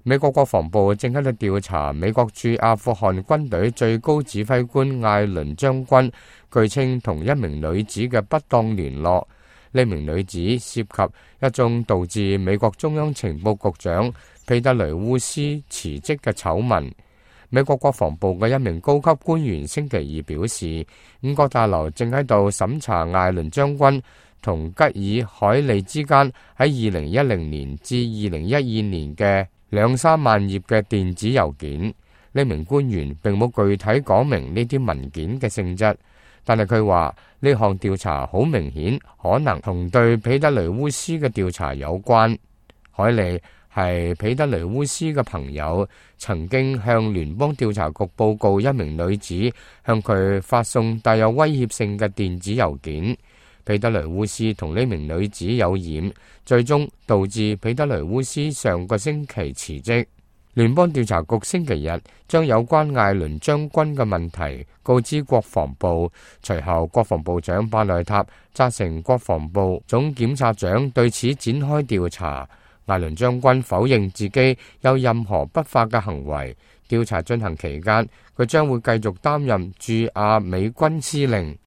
美國國防部正喺度調查美國駐阿富汗軍隊最高指揮官艾倫將軍，據稱同一名女子嘅不當聯絡。呢名女子涉及一宗導致美國中央情報局長彼得雷烏斯辭職嘅醜聞。美國國防部嘅一名高級官員星期二表示，五角大樓正喺度審查艾倫將軍同吉爾海利之間喺2010年至2012年嘅2-3萬頁嘅電子郵件。呢名官員並冇具體講明呢啲文件嘅性質，但係佢話呢項調查好明顯可能同對彼得雷烏斯嘅調查有關。海利係彼得雷烏斯嘅朋友，曾經向聯邦調查局報告一名女子向佢發送帶有威脅性嘅電子郵件。彼得雷烏斯同呢名女子有染，最終導致彼得雷烏斯上個星期辭職。聯邦調查局星期日將有關艾倫將軍嘅問題告知國防部，隨後國防部長巴內塔責成國防部總檢察長對此展開調查。艾倫將軍否認自己有任何不法嘅行為。調查進行期間，佢將會繼續擔任駐亞美軍司令。